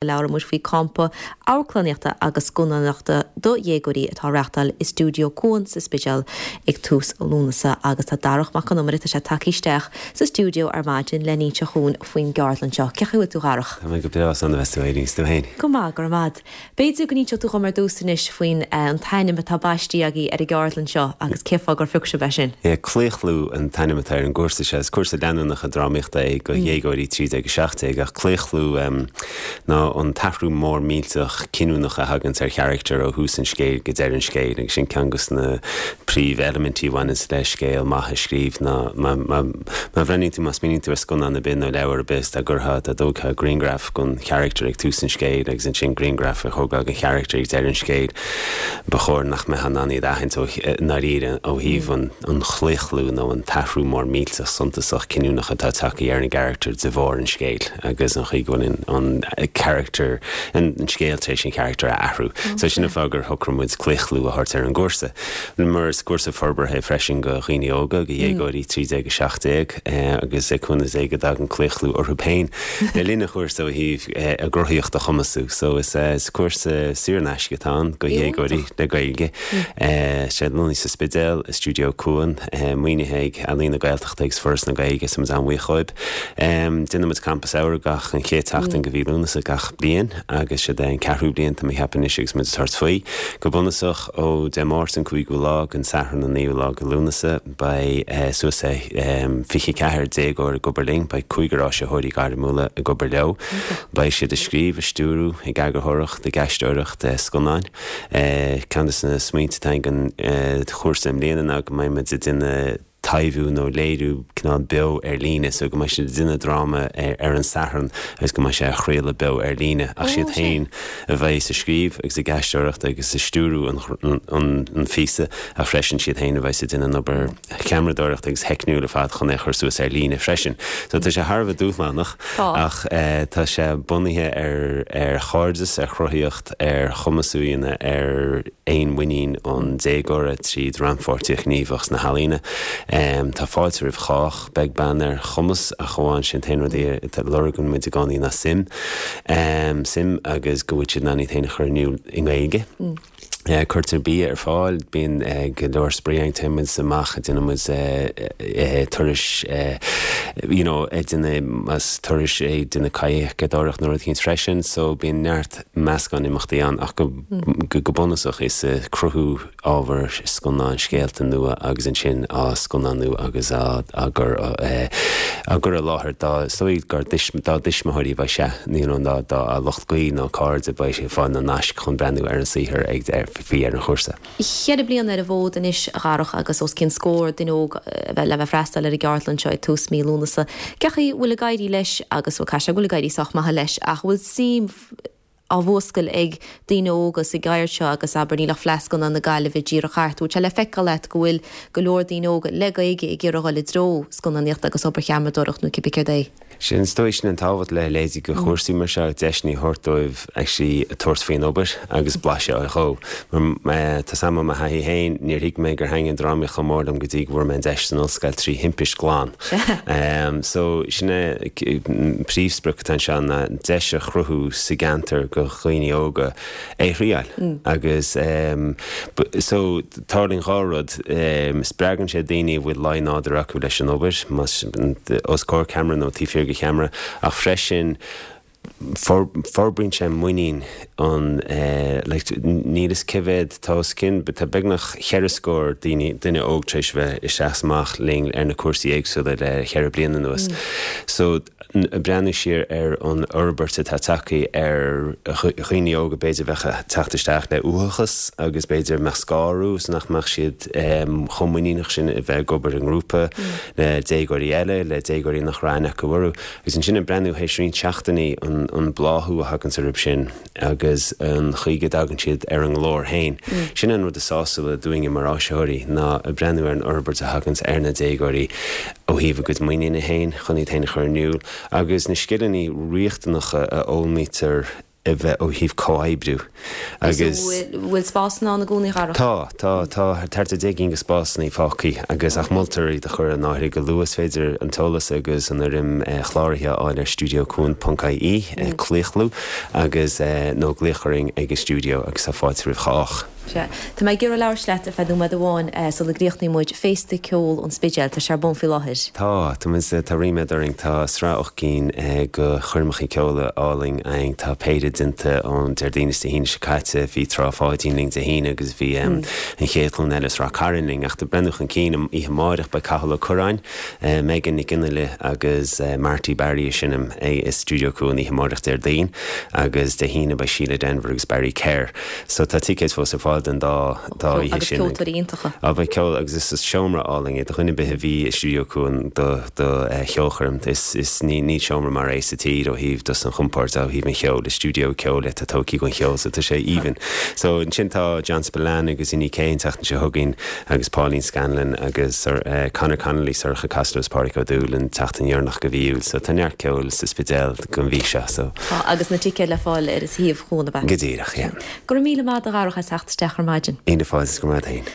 Labhróidh muid faoi campa amharclannaíochta agus scannánaíochta do dhéagóirí atá á reachtáil i Stiúideo Cuan sa Spidéal ag tús Lúnasa agus tá Darach Mac Con Iomaire, tá sé tagtha isteach sa stiúideo ar maidin le n-inseacht dhúinn faoin gceardlann seo. Cén chaoi a bhfuil tú a Dharach? Tá mé go breá, is annamh a bheas tú Éirinn, is tú féin? Go maith, go raibh maith a'd. B'fhéidir go n-inseodh tú dhom ar dtús anois faoin an t-ainm atá baistí agaibh ar an gceardlann seo agus cén fáth gur phioc sibh é sin. Yeah, Claochlú an t-ainm atá ar an gcúrsa seo. Is cúrsa leanúnach drámaíochta é do dhéagóirí 13, 17 ach claochlú ná an t-athrú mór millteach cinniúnach a thaganns ar charachtar ó thús an scéil go deireadh an scéil agus sin ceann dos na príomheilimintí a bhaineanns le scéal maith a scríobh ná má má bhreathnaíonn tú má smaoiníonn tú ar scannán ar bith nó leabhar ar bith dá gcuirfeá dá dtógfá grianghraf den charachtar ag tús an scéil agus ansin grianghraf a thógáil den charachtar ag deireadh an scéil, ba chóir nach mbeifeá in ann iad a aithint ó ndáiríre ó thaobh an chlaochlú nó an t-athrú mór millteach suntasach cinniúnach atá tagtha ar an gcarachtar de bharr an scéil agus an chaoi go bhfuil an charachtar, an scéal tar éis an charachtar a athrú. So sin an fáth gur shocraigh muid claochlú a thabhairt ar an gcúrsa. Mar is cúrsa forbartha é freisin do dhaoine óga, do dhéagóirí 13, 17 agus le cúnamh Dé go dtagann claochlú orthu féin le linn an chúrsa ó thaobh a gcruthaíocht a chumasú. So is cúrsa saor in aisce atá ann do dhéagóirí le Gaeilge. Sé lonnaithe sa Spidéal, i Stiúideo Cuan, maoinithe ag Ealaín na Gaeltachta agus Foras na Gaeilge, so muid an-bhuíoch dhóibh. Déanann muid Campa Samhraidh gach an chéad tseachtain de mhí Lúnasa gach bliain agus siod é an ceathrú bliain tá mé ag ceapadh anois agus muid ag tabhairt faoi. Go bunúsach, ó Dé Máirt an 5ú lá go an Satharn an 9ú lá de Lúnasa, beidh suas le 24 déagóir ag obair linn, beidh cúigear áisitheoirí gairmiúla ag obair leo. Beidh siad ag scríobh, ag stiúrú, ag eagarthóireacht, ag aisteoireacht scannáin. Ceann de na smaointe atá againn don chúrsa i mbliana ná go mbeidh muid ag déanamh taibhiú nó léiriú cineál beo ar líne so go mbeidh siad ag déanamh dráma ar an Satharn agus go mbeidh sé á chraoladh beo ar líne ach siad féin a bheidh ag scríobh agus ag aisteoireacht agus ag stiúrú an phíosa ach freisin siad féin a bheidh ag déanamh an obair cheamaradóireachta agus theicniúil ar fad chun é a chur suas ar líne freisin. So tá sé thar a bheith dúshlánach ach tá sé bunaithe ar ar chairdeas, ar chruthaíocht, ar chumasú a dhéanamh ar fhéinmhuinín an déagóra tríd rannpháirtíocht ghníomhach sna healaíona. Tá fáilte roimh chách, beag beann ar chumas, ach amháin sin t-aon rud a lorgaíonn muid i gcónaí ná suim. Suim agus go bhfuil siad in ann iad féin a chur in iúl i nGaeilge. Cuirtear bia ar fáil, bíonn go leor spraoi ann, téann muid amach, déanann muid turais you know ag déanamh más turais ag déanamh kayakeadóireacht nó rud éicint freisin so bíonn neart meascán imeachtaí ann ach go go bunúsach is cruthú ábhar scannán scéalta nua agus ansin á scannánú agus á gcur á gcur i láthair dá is dóigh gur dá dtuismitheoirí a bheidh sé you know dá dá lucht gaoil nó cairde beidh sé ag fáil na naisc chun breathnú ar an saothar ag faoi dheireadh an chúrsa. Cheithre bliana ar an bhfód anois a Dharach agus os cionn scór duine óg a bheith le bheith freastal ar an gceardlann seo ag tús mí Lúnasa. Cén chaoi a bhfuil ag éirí leis agus bhuel caithfidh sé go bhfuil ag éirí sách maith leis ach an bhfuil suim á mhúscailt ag daoine óga sa gceird seo agus abair níl ach Fleadh Scannán na Gaillimhe díreach thart. Bhfuil sé le feiceáil agat go bhfuil go leor daoine óga le Gaeilge ag iarraidh dhul i dtreo scannánaíochta agus obair cheamaradóireacht nó cibé céard é? Sin, is dóigh, sin an tábhacht le leithéidí de chúrsaí mar seo, deiseanna a thabhairt dóibh actually tabhairt faoin obair agus blaiseadh a fháil dhó. Mar tá 's a'm ó mo thaithí féin, níor thuig mé gur thaitnigh an drámaíocht chomh mór liom go dtí go bhfuair mé an deis san ollscoil trí thimpist glan. So sin é an príomhsprioc atá anseo ná deis a chruthú sa gceantar do dhaoine óga é a thriáil. Agus so tarlaíonn dhá rud, spreagann sé daoine a bhfuil laghnádúr acu leis an obair, más os comhair ceamara nó taobh thiar de cheamara, ach freisin forbraíonn sé muinín an like níl 'fhios cé mhéad tá os cionn, tá beagnach cheithre scór daoine, duine óg tar éis a bheith isteach is amach linn ar na cúrsaí éagsúla le cheithre bliana anuas. So ag breathnú siar ar an fhorbairt atá tagtha ar dhaoine óga b'fhéidir a bheadh ag teacht isteach le uathachas agus b'fhéidir a mbeadh scarúint is nach mbeadh siad chomh muiníneach sin a bheith ag obair i ngrúpa le déagóirí eile, le déagóirí nach raibh aithne acu orthu. Agus ansin ag breathnú théis roinnt seachtainí an bláthú a thaganns orthu sin agus an chaoi go dtagann siad ar a nglór féin. Sin an rud is sásúla dúinne mar áisitheoirí ná ag breathnú ar an fhorbairt a thaganns ar na déagóirí ó thaobh a gcuid muiníne féin chun iad féin a chur in iúl agus na scileanna riachtanacha a fhoghlaimítear. a bheith ó thaobh comhoibriú agus. Bhfuil spásanna ann i gcónaí, a Dharach? Tá, tá, tá thart ar 10 gcinn de spásanna fágtha agus ach moltar iad a chur in áirithe go luath. Is féidir an t-eolas agus an fhoirm chláraithe a fháil ar studiocuan.ie, claochlú, agus nó glaoch orainn ag an stiúideo agus tá fáilte roimh chách. Sea. Tá mé ag iarraidh labhairt leat ar feadh nóiméad amháin sula gcríochnaíonn muid. Féasta Ceoil an Spidéil, tá sé ar bun faoi láthair. Tá. Tá muid, tá ríméad orainn. Tá sraith 8 gcinn de choirmeacha ceoil álainn againn. Tá péire déanta ón Déardaoin is Dé hAoine seo caite. Bhí Trá Pháidín linn Dé hAoine agus bhí an chéad ghlúin eile as Ráth Cairn linn. Ach ag breathnú chun cinn, oíche amáireach beidh Cathal Ó Curráin, Megan Nic Fhionnghaile agus Marty Barry ag seinm i Stiúideo Cuan oíche amáireach Déardaoin agus Dé hAoine beidh Síle Denvir agus Barry Kerr. So tá ticéid fós ar fáil don dá dá oíche Agus sin. ceoltóirí iontacha. Á beidh ceol agus is is seomra álainn é do dhuine ar bith a bhí i Stiúideo Cuan do do cheolchoirm. Is is ní níl seomra mar é sa tír ó thaobh just an chompoird ó thaobh an cheoil. Is stiúideo ceoil é atá tógtha don cheol so tá sé aoibhinn. So ansin tá John Spillane agus Inni K an tseachtain seo chugainn agus Pauline Scanlon agus Conor Connolly, Sorcha Costello is Pádraig Ó Dúill an tseachtain dheireanach de mhí Iúil. So tá neart ceoil sa Spidéal don mhí seo so. Tá agus na ticéid le fáil ar an suíomh Cuan, ab ea? Go díreach, yeah. Go raibh míle maith agat a Dharach as theacht isteach ar maidin. Míle fáilte, go raibh maith agat féin.